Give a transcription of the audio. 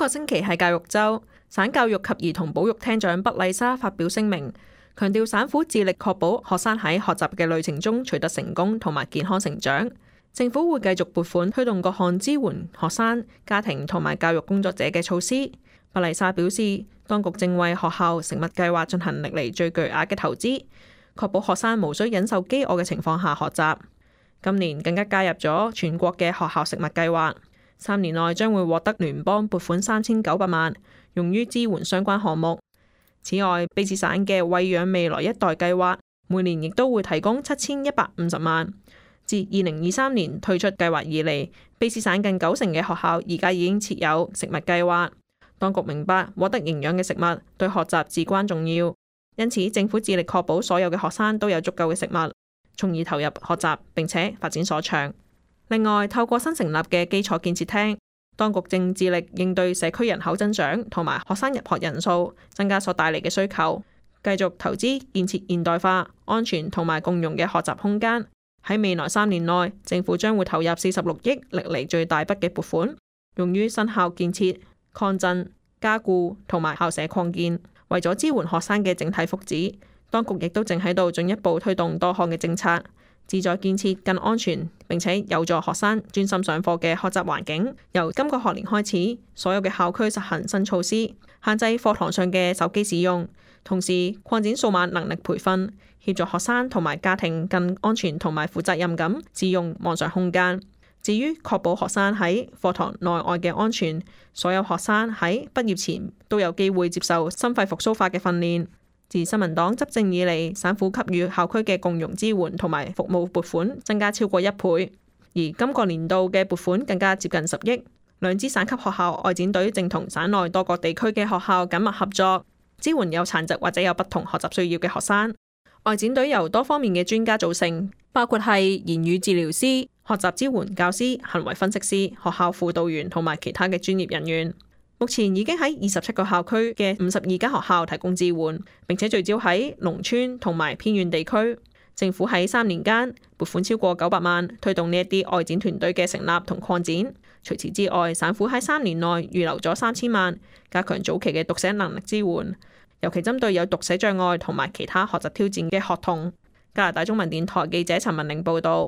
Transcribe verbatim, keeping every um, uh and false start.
個星期係教育週，省教育及兒童保育廳長畢麗莎發表聲明，強調省府致力確保學生喺學習嘅旅程中取得成功同埋健康成長。政府會繼續撥款推動各項支援學生、家庭同埋教育工作者嘅措施。畢麗莎表示，當局正為學校食物計劃進行歷嚟最巨額嘅投資，確保學生無需忍受飢餓嘅情況下學習。今年更加加入咗全國嘅學校食物計劃，三年內將會獲得聯邦撥款三千九百萬，用於支援相關項目。此外，卑詩省嘅餵養未來一代計劃每年亦都會提供七千一百五十萬。自二零二三年推出計劃以嚟，卑詩省近九成嘅學校而家已經設有食物計劃。當局明白獲得營養嘅食物對學習至關重要，因此政府致力確保所有嘅學生都有足夠嘅食物，從而投入學習並且發展所長。另外，透過新成立嘅基礎建設廳，當局正致力應對社區人口增長同埋學生入學人數增加所帶嚟嘅需求，繼續投資建設現代化、安全同埋共融嘅學習空間。喺未來三年內，政府將會投入四十六億歷嚟最大筆嘅撥款，用於新校建設、擴振、加固同埋校舍擴建。為咗支援學生嘅整體福祉，當局亦都正喺度進一步推動多項嘅政策，旨在建設更安全並且有助學生專心上課嘅學習環境。由今個學年開始，所有嘅校區實行新措施，限制課堂上嘅手機使用，同時擴展數碼能力培訓，協助學生同埋家庭更安全同埋負責任咁使用網上空間。至於確保學生喺課堂內外嘅安全，所有學生喺畢業前都有機會接受心肺復甦法嘅訓練。自新民黨執政以嚟，省府給予校區嘅共融支援同埋服務撥款增加超過一倍，而今個年度嘅撥款更加接近十億。兩支省級學校外展隊正同省內多個地區嘅學校緊密合作，支援有殘疾或者有不同學習需要嘅學生。外展隊由多方面嘅專家組成，包括係言語治療師、學習支援教師、行為分析師、學校輔導員同埋其他嘅專業人員。目前已經喺二十七個校區嘅五十二間學校提供支援，並且聚焦喺農村同埋偏遠地區。政府喺三年間撥款超過九百萬，推動呢一啲外展團隊嘅成立同擴展。除此之外，省府喺三年內預留咗三千萬，加強早期嘅讀寫能力支援，尤其針對有讀寫障礙同埋其他學習挑戰嘅學童。加拿大中文電台記者陳文玲報導。